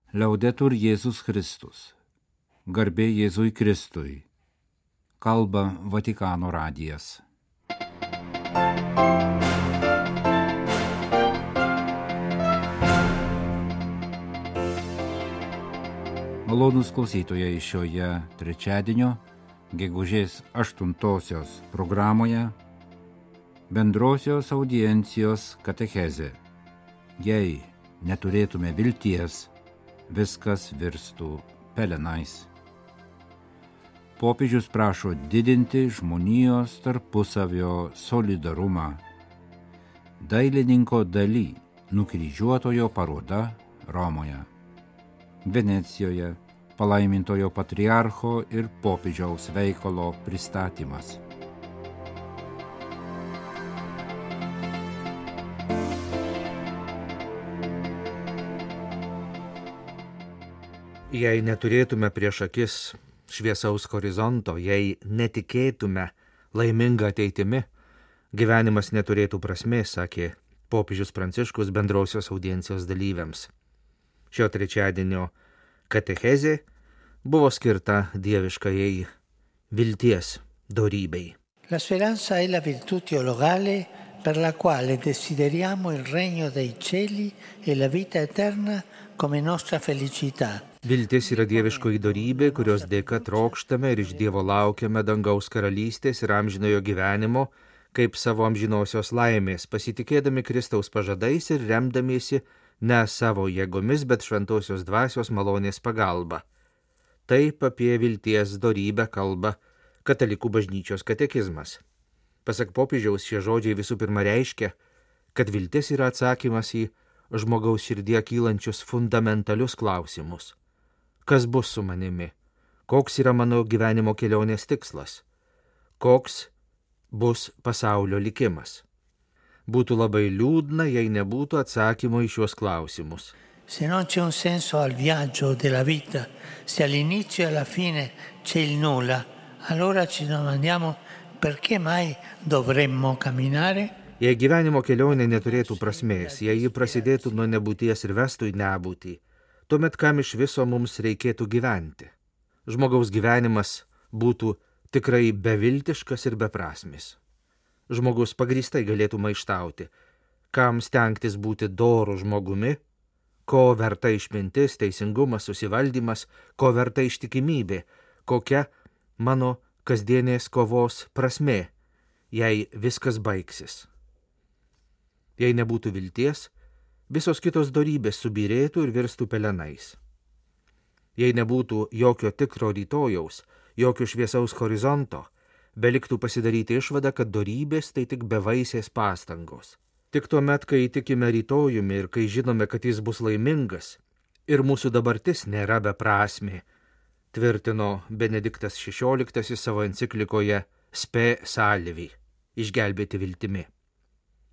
Liaudetur Jėzus Kristus. Garbė Jėzui Kristui. Kalba Vatikano radijas. Malonūs klausytojai, šioje trečiadienio, gegužės 8-osios programoje bendrosios audiencijos katechezė. Jei neturėtume vilties, viskas virstų pelenais. Popiežius prašo didinti žmonijos tarpusavio solidarumą. Dailininko Dali nukryžiuotojo paroda Romoje. Venecijoje palaimintojo patriarcho ir popiežiaus veikalo pristatymas. Jei neturėtume prieš akis šviesaus horizonto, jei netikėtume laimingą ateitimi, gyvenimas neturėtų prasmės, sakė popiežius Pranciškus bendrosios audiencijos dalyviams. Šio trečiadienio katechezė buvo skirta dieviškajai vilties dorybei. La speranza è la virtù teologale per la quale desideriamo il regno dei cieli e la vita eterna come nostra felicità. Viltis yra dieviškoji dorybė, kurios dėka trokštame ir iš Dievo laukiame dangaus karalystės ir amžinojo gyvenimo, kaip savo amžinosios laimės, pasitikėdami Kristaus pažadais ir remdamiesi ne savo jėgomis, bet šventosios dvasios malonės pagalba. Taip apie vilties dorybę kalba Katalikų bažnyčios katekizmas. Pasak popiežiaus, šie žodžiai visų pirma reiškia, kad viltis yra atsakymas į žmogaus širdie kylančius fundamentalius klausimus. Kas bus su manimi? Koks yra mano gyvenimo kelionės tikslas? Koks bus pasaulio likimas? Būtų labai liūdna, jei nebūtų atsakymo į šiuos klausimus. Se non c'è un senso al viaggio della vita, se all'inizio e alla fine c'è il nulla, allora ci domandiamo perché mai dovremmo camminare? Jei gyvenimo kelionė neturėtų prasmės, jei ji prasidėtų nuo nebūties ir vestų į nebūtį, tuomet kam iš viso mums reikėtų gyventi? Žmogaus gyvenimas būtų tikrai beviltiškas ir beprasmis. Žmogus pagrįstai galėtų maištauti, kam stengtis būti doru žmogumi, ko verta išmintis, teisingumas, susivaldymas, ko verta ištikimybė, kokia mano kasdienės kovos prasmė, jei viskas baigsis. Jei nebūtų vilties, visos kitos dorybės subyrėtų ir virstų pelenais. Jei nebūtų jokio tikro rytojaus, jokio šviesaus horizonto, beliktų pasidaryti išvadą, kad dorybės tai tik bevaisės pastangos. Tik tuomet, kai tikime rytojumi ir kai žinome, kad jis bus laimingas, ir mūsų dabartis nėra beprasmė, tvirtino Benediktas XVI savo enciklikoje Spe Salvi, išgelbėti viltimi.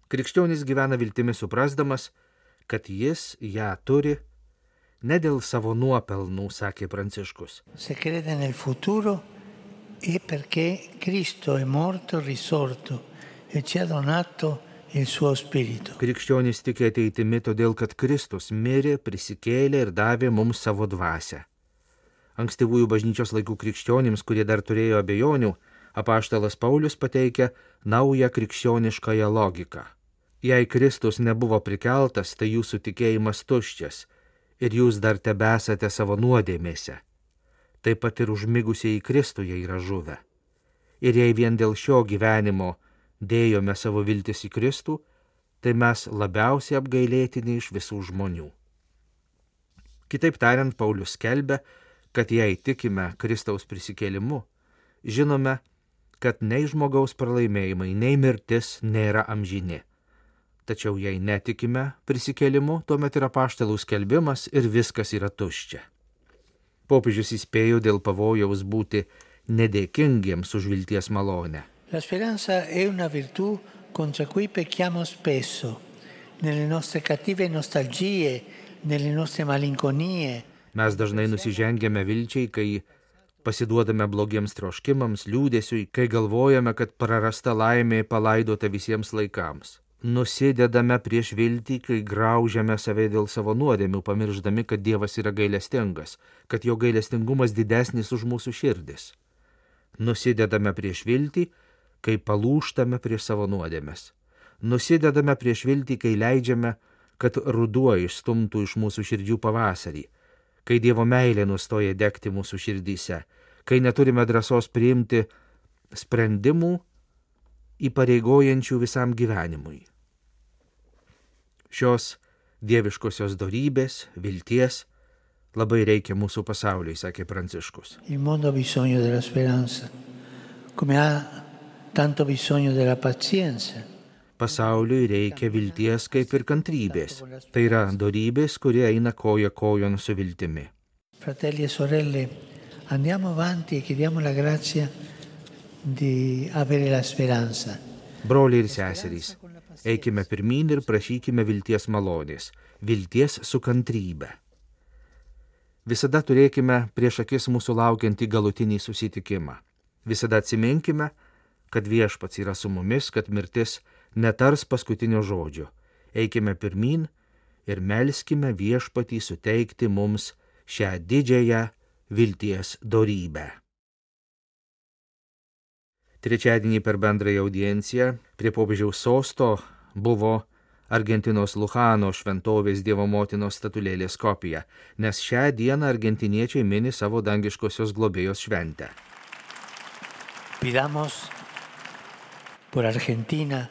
Krikščionis gyvena viltimi suprasdamas, kad jis ją turi ne dėl savo nuopelnų, sakė Pranciškus. Se crede nel futuro è perché Cristo è morto, risorto e ci ha donato il suo spirito. Krikščionis tiki ateitimi todėl, kad Kristus mirė, prisikėlė ir davė mums savo dvasią. Ankstyvųjų bažnyčios laikų krikščionims, kurie dar turėjo abejonių, apaštalas Paulius pateikia naują krikščioniškąją logiką. Jei Kristus nebuvo prikeltas, tai jūsų tikėjimas tuščias ir jūs dar tebesate savo nuodėmėse. Taip pat ir užmigusieji Kristuje yra žuvę. Ir jei vien dėl šio gyvenimo dėjome savo viltis į Kristų, tai mes labiausiai apgailėtini iš visų žmonių. Kitaip tariant, Paulius skelbia, kad jei tikime Kristaus prisikėlimu, žinome, kad nei žmogaus pralaimėjimai, nei mirtis nėra amžini. Tačiau jei netikime prisikėlimu, tuomet yra apaštalų skelbimas ir viskas yra tuščia. Popiežius įspėjo dėl pavojaus būti nedėkingiems už vilties malonę. La speranza è una virtù contro cui pecchiamo spesso, nelle nostre cattive nostalgie, nelle nostre malinconie. Mes dažnai nusižengiame vilčiai, kai pasiduodame blogiems troškimams, liūdesiui, kai galvojame, kad prarasta laimė palaidota visiems laikams. nusidedame prieš viltį, kai graužiame save dėl savo nuodėmių, pamirždami, kad Dievas yra gailestingas, kad jo gailestingumas didesnis už mūsų širdis. Nusidedame prieš viltį, kai palūžtame prieš savo nuodėmes. Nusidedame prieš viltį, kai leidžiame, kad ruduo išstumtų iš mūsų širdžių pavasarį, kai Dievo meilė nustoja degti mūsų širdyse, kai neturime drąsos priimti sprendimų įpareigojančių visam gyvenimui. Šios dieviškosios dorybės, vilties labai reikia mūsų pasauliui, sakė Pranciškus. Il mondo ha bisogno della speranza, come ha tanto bisogno della pazienza. Pasauliui reikia vilties kaip ir kantrybės. Tai yra dorybės, kurie eina koja kojon su viltimi. Fratelli e sorelle, andiamo avanti e chiediamo la grazia di avere la speranza. Broliai ir seserys, eikime pirmyn ir prašykime vilties malonės, vilties su kantrybe. Visada turėkime prieš akis mūsų laukiantį galutinį susitikimą. Visada atsiminkime, kad Viešpats yra su mumis, kad mirtis netars paskutinio žodžio. Eikime pirmyn ir melskime Viešpatį suteikti mums šią didžiąją vilties dorybę. Trečiadienį per bendrąją audienciją prie popiežiaus sosto buvo Argentinos Luchano šventovės Dievo motinos statulėlės kopija, nes šią dieną argentiniečiai mini savo dangiškosios globėjos šventę. Pidamos por Argentina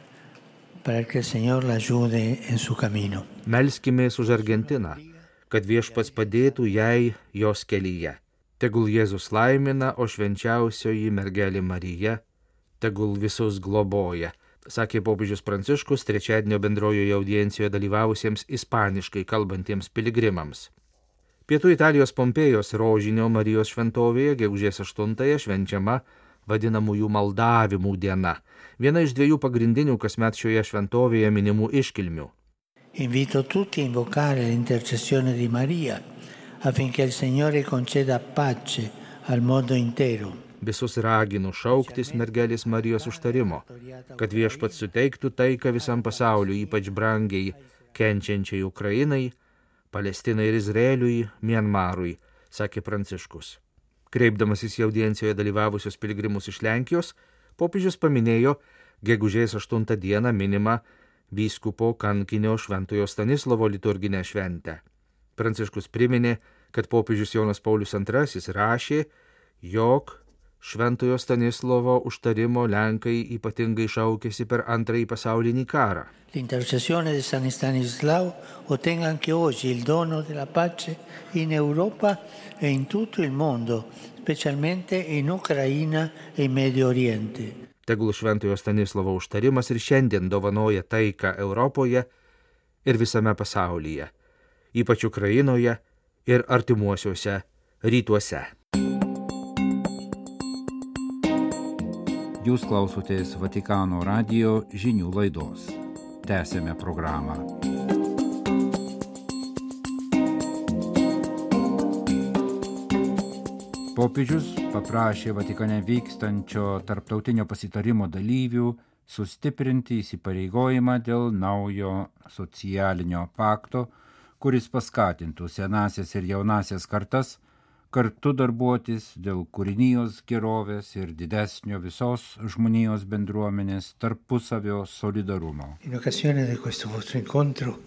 para que el Señor la ayude en su camino. Melskimės už Argentiną, kad Viešpats padėtų jai jos kelyje. Tegul Jėzus laimina, o švenčiausioji mergelė Marija tegul visus globoja, sakė popiežius Pranciškus trečiadienio bendrojoje audiencijoje dalyvavusiems ispaniškai kalbantiems piligrimams. Pietų Italijos Pompėjos rožinio Marijos šventovėje gegužės 8-ąją švenčiama vadinamųjų maldavimų diena, viena iš 2 pagrindinių kasmet šioje šventovėje minimų iškilmių. Invito tutti a invocare l'intercessione di Maria affinché il Signore conceda pace al mondo intero. Visus raginu šauktis mergelės Marijos užtarimo, kad Viešpats suteiktų taiką visam pasauliu, ypač brangiai kenčiančiai Ukrainai, Palestinai ir Izraeliui, Mianmarui, sakė Pranciškus. Kreipdamasis į audiencijoje dalyvavusios piligrimus iš Lenkijos, popiežius paminėjo gegužės 8 dieną minimą vyskupo kankinio Šventojo Stanislovo liturginę šventę. Pranciškus priminė, kad popiežius Jonas Paulius II rašė, jog Šventojo Stanislovo užtarimo Lenkai ypatingai šaukėsi per Antrąjį pasaulinį karą. L'intercessione di San Stanislao ottenga anche oggi il dono della pace in Europa e in tutto il mondo, specialmente in Ucraina e in Medio Oriente. Tegul Šventojo Stanislovo užtarimas ir šiandien dovanoja taiką Europoje ir visame pasaulyje, ypač Ukrainoje ir artimuosiuose rytuose. Jūs klausotės Vatikano radijo žinių laidos. Tęsėme programą. Popiežius paprašė Vatikane vykstančio tarptautinio pasitarimo dalyvių sustiprinti įsipareigojimą dėl naujo socialinio pakto, kuris paskatintų senąsias ir jaunąsias kartas kartu darbuotis dėl kūrinijos gerovės ir didesnio visos žmonijos bendruomenės tarpusavio solidarumo. In occasione di questo vostro incontro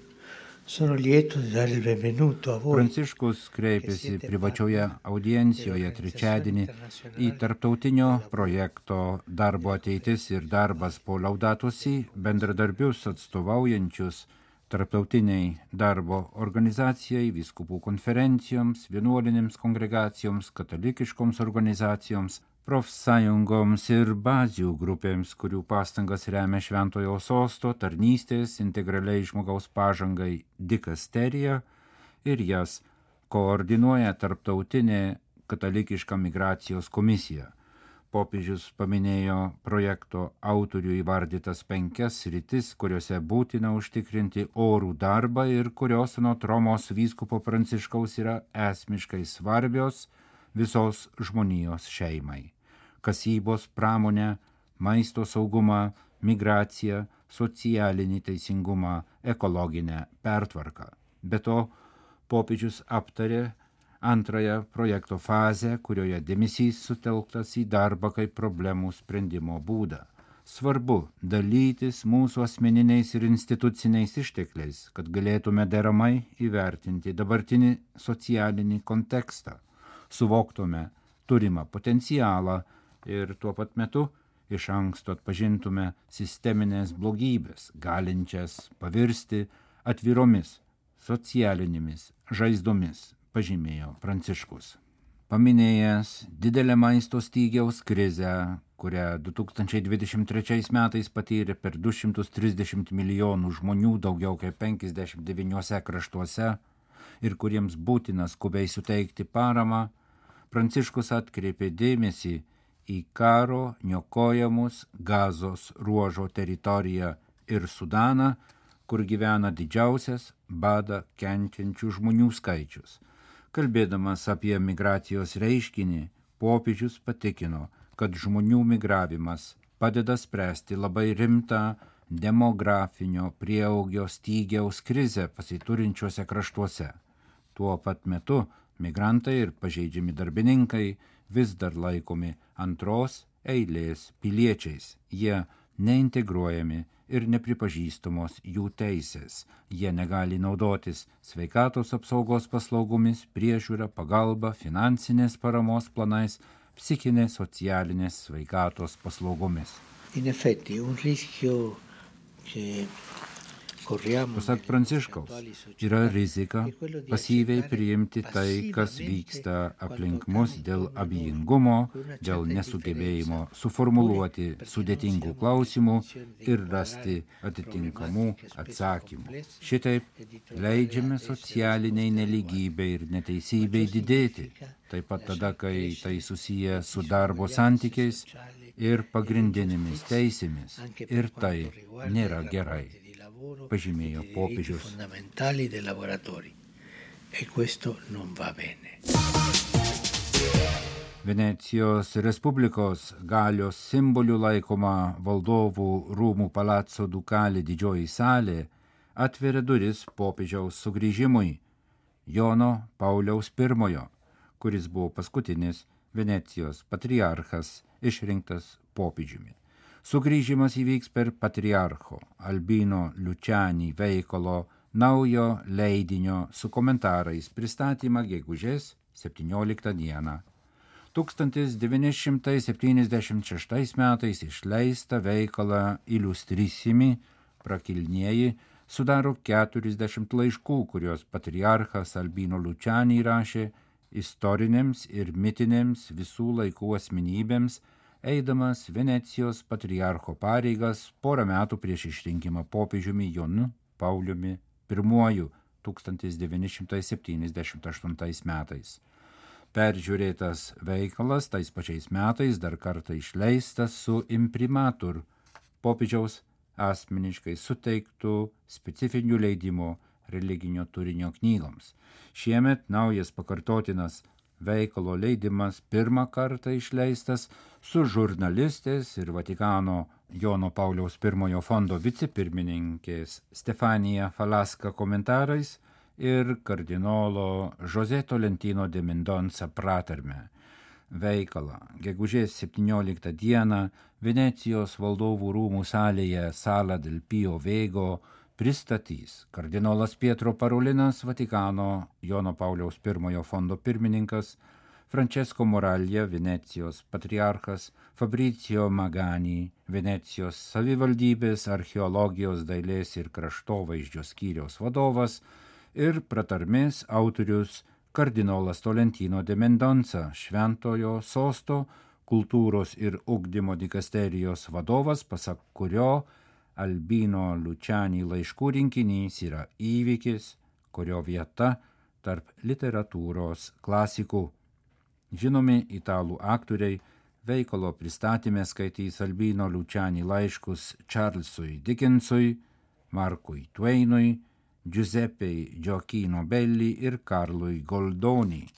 sono lieto di dare il benvenuto a voi. Pranciškus kreipėsi privačioje audiencijoje trečiadienį į tarptautinio projekto Darbo ateitis ir darbas po Laudato Si bendradarbius atstovaujančius tarptautiniai darbo organizacijai, vyskupų konferencijoms, vienuolinėms kongregacijoms, katalikiškoms organizacijoms, profsąjungoms ir bazių grupėms, kurių pastangas remia Šventojo Sosto tarnystės integraliai žmogaus pažangai dikasterija ir jas koordinuoja tarptautinė katalikiška migracijos komisija. Popiežius paminėjo projekto autorių įvardytas 5 sritis, kuriuose būtina užtikrinti orų darbą ir kurios anot Romos vyskupo Pranciškaus yra esmiškai svarbios visos žmonijos šeimai. Kasybos pramonė, maisto saugumą, migracija, socialinį teisingumą, ekologinę pertvarką. Be to, popiežius aptarė antrąją projekto fazę, kurioje dėmesys sutelktas į darbą kaip problemų sprendimo būdą. Svarbu dalytis mūsų asmeniniais ir instituciniais ištekliais, kad galėtume deramai įvertinti dabartinį socialinį kontekstą, suvoktume turimą potencialą ir tuo pat metu iš anksto atpažintume sisteminės blogybės, galinčias pavirsti atviromis socialinėmis žaizdomis, pažymėjo Pranciškus. Paminėjęs didelę maisto stygiaus krizę, kurią 2023 metais patyrė per 230 milijonų žmonių daugiau kaip 59 kraštuose ir kuriems būtina skubiai suteikti paramą, Pranciškus atkreipė dėmesį į karo niokojamus Gazos ruožo teritoriją ir Sudaną, kur gyvena didžiausias badą kenčiančių žmonių skaičius. Kalbėdamas apie migracijos reiškinį, popiežius patikino, kad žmonių migravimas padeda spręsti labai rimtą demografinio prieaugio stygiaus krizę pasiturinčiuose kraštuose. Tuo pat metu migrantai ir pažeidžiami darbininkai vis dar laikomi antros eilės piliečiais. Jie neintegruojami ir nepripažįstamos jų teisės. Jie negali naudotis sveikatos apsaugos paslaugomis, priežiūra, pagalba, finansinės paramos planais, psichinės, socialinės sveikatos paslaugomis. In effetti, un rischio che Pasak Pranciškaus, yra rizika pasyviai priimti tai, kas vyksta aplink mus dėl abejingumo, dėl nesugebėjimo suformuluoti sudėtingų klausimų ir rasti atitinkamų atsakymų. Šitaip leidžiame socialiniai nelygybei ir neteisybei didėti, taip pat tada, kai tai susiję su darbo santykiais ir pagrindinėmis teisėmis, ir tai nėra gerai, pažymėjo popiežius. Venecijos Respublikos galios simboliu laikoma valdovų rūmų Palazzo Ducale didžioji salė atveria duris popiežiaus sugrįžimui Jono Pauliaus I, kuris buvo paskutinis Venecijos patriarchas išrinktas popiežiumi. Sugrįžimas įvyks per patriarcho Albino Luciani veikalo naujo leidinio su komentarais pristatymą gegužės 17 dieną. 1976 metais išleista veikalą Illustrissimi prakilnieji sudaro 40 laiškų, kurios patriarchas Albino Luciani rašė istorinėms ir mitinėms visų laikų asmenybėms, eidamas Venecijos patriarcho pareigas porą metų prieš išrinkimą popiežiumi Jonu Pauliumi I 1978 metais. Peržiūrėtas veikalas tais pačiais metais dar kartą išleistas su imprimatur popiežiaus asmeniškai suteiktų specifinių leidimų religinio turinio knygoms. Šiemet naujas pakartotinas veikalo leidimas pirmą kartą išleistas su žurnalistės ir Vatikano Jono Pauliaus I fondo vicepirmininkės Stefanija Falaska komentarais ir kardinolo José Tolentino de Mendonca pratarme. Veikalą gegužės 17 dieną Venecijos valdovų rūmų salėje Sala del Pio Vego pristatys kardinolas Pietro Parolinas, Vatikano Jono Pauliaus I fondo pirmininkas, Francesco Moraglia, Venecijos patriarchas, Fabrizio Magani, Venecijos savivaldybės archeologijos, dailės ir kraštovaizdžio skyriaus vadovas ir pratarmės autorius kardinolas Tolentino de Mendonca, Šventojo sosto kultūros ir ugdymo dikasterijos vadovas, pasak kurio Albino Luciani laiškų rinkinys yra įvykis, kurio vieta tarp literatūros klasikų. Žinomi italų aktoriai veikalo pristatyme skaitys Albino Luciani laiškus Charlesui Dickensui, Markui Twainui, Giuseppei Gioacchino Belli ir Karlui Goldoni.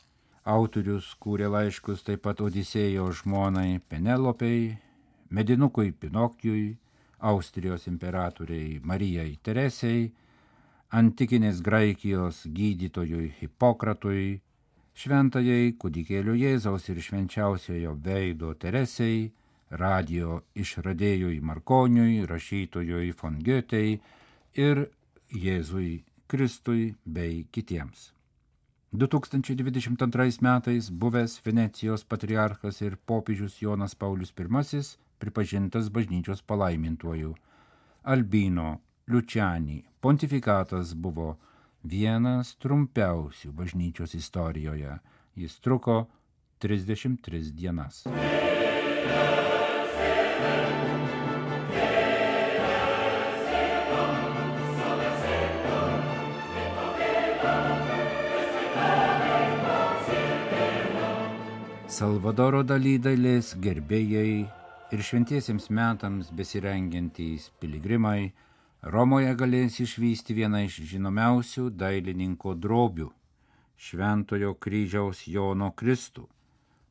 Autorius kūrė laiškus taip pat Odisėjo žmonai Penelopei, Medinukui Pinokijui, Austrijos imperatoriai Marijai Teresei, antikinės Graikijos gydytojui Hipokratui, šventajai kūdikėlio Jėzaus ir švenčiausiojo veido Teresei, radijo išradėjui Markoniui, rašytojui von Goethei ir Jėzui Kristui bei kitiems. 2022 metais buvęs Venecijos patriarchas ir popiežius Jonas Paulius I pripažintas bažnyčios palaimintuoju. Albino Luciani pontifikatas buvo vienas trumpiausių bažnyčios istorijoje. Jis truko 33 dienas. Salvadoro Dalí dailės gerbėjai ir šventiesiems metams besirengiantys piligrimai Romoje galės išvysti vieną iš žinomiausių dailininko drobių – Šventojo kryžiaus Jono Kristų.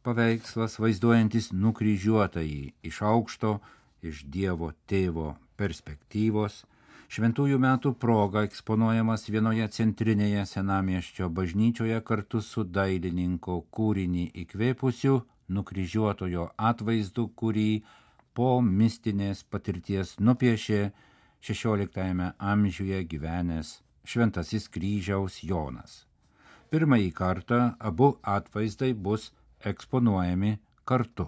Paveikslas vaizduojantis nukryžiuotąjį iš aukšto, iš Dievo tėvo perspektyvos, šventųjų metų proga eksponuojamas vienoje centrinėje senamiesčio bažnyčioje kartu su dailininko kūrinį įkvėpusiu nukryžiuotojo atvaizdu, kurį po mistinės patirties nupiešė 16 amžiuje gyvenęs Šventasis kryžiaus Jonas. Pirmąjį kartą abu atvaizdai bus eksponuojami kartu.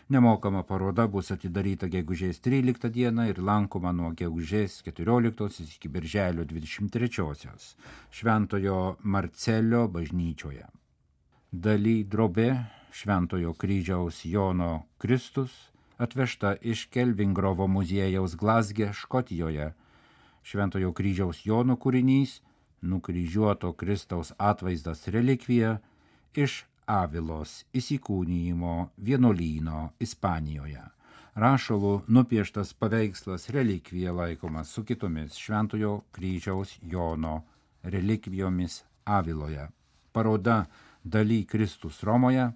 Nemokama paroda bus atidaryta gegužės 13 dieną ir lankoma nuo gegužės 14 iki birželio 23 Šventojo Marcelio bažnyčioje. Dalí drobė Šventojo kryžiaus Jono Kristus atvežta iš Kelvingrovo muziejaus Glazge, Škotijoje. Šventojo kryžiaus Jono kūrinys, nukryžiuoto Kristaus atvaizdas relikvija iš Avilos įsikūnijimo vienuolyno Ispanijoje. Rašalų nupieštas paveikslas relikvija laikomas su kitomis Šventojo kryžiaus Jono relikvijomis Aviloje. Paroda Dalí Kristus Romoje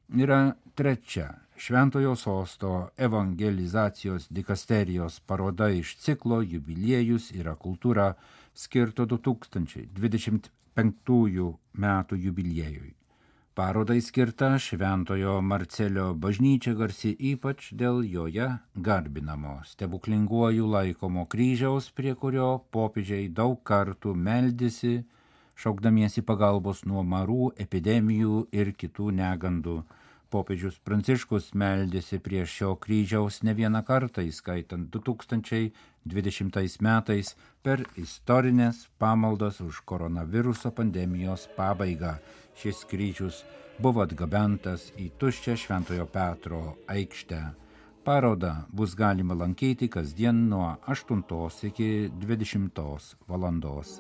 yra trečia Šventojo sosto evangelizacijos dikasterijos paroda iš ciklo Jubiliejus yra kultūra skirto 2025 metų jubiliejui. Parodai skirta Šventojo Marcelio bažnyčia garsi ypač dėl joje garbinamo stebuklinguoju laikomo kryžiaus, prie kurio popiežiai daug kartų meldėsi, šaukdamiesi pagalbos nuo marų, epidemijų ir kitų negandų. Popiežius Pranciškus meldėsi prie šio kryžiaus ne vieną kartą, įskaitant 2020 metais per istorinės pamaldas už koronaviruso pandemijos pabaigą. Šis kryžius buvo atgabentas į tuščią Šventojo Petro aikštę. Parodą bus galima lankyti kasdien nuo 8 iki 20 valandos.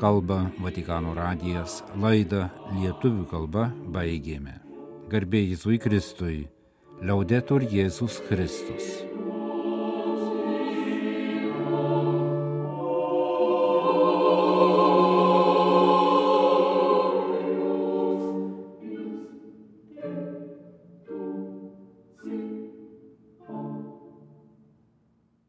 Kalba Vatikano radijas, laidą lietuvių kalba baigėme. Garbė Jėzui Kristui, Laudetur Jėzus Kristus.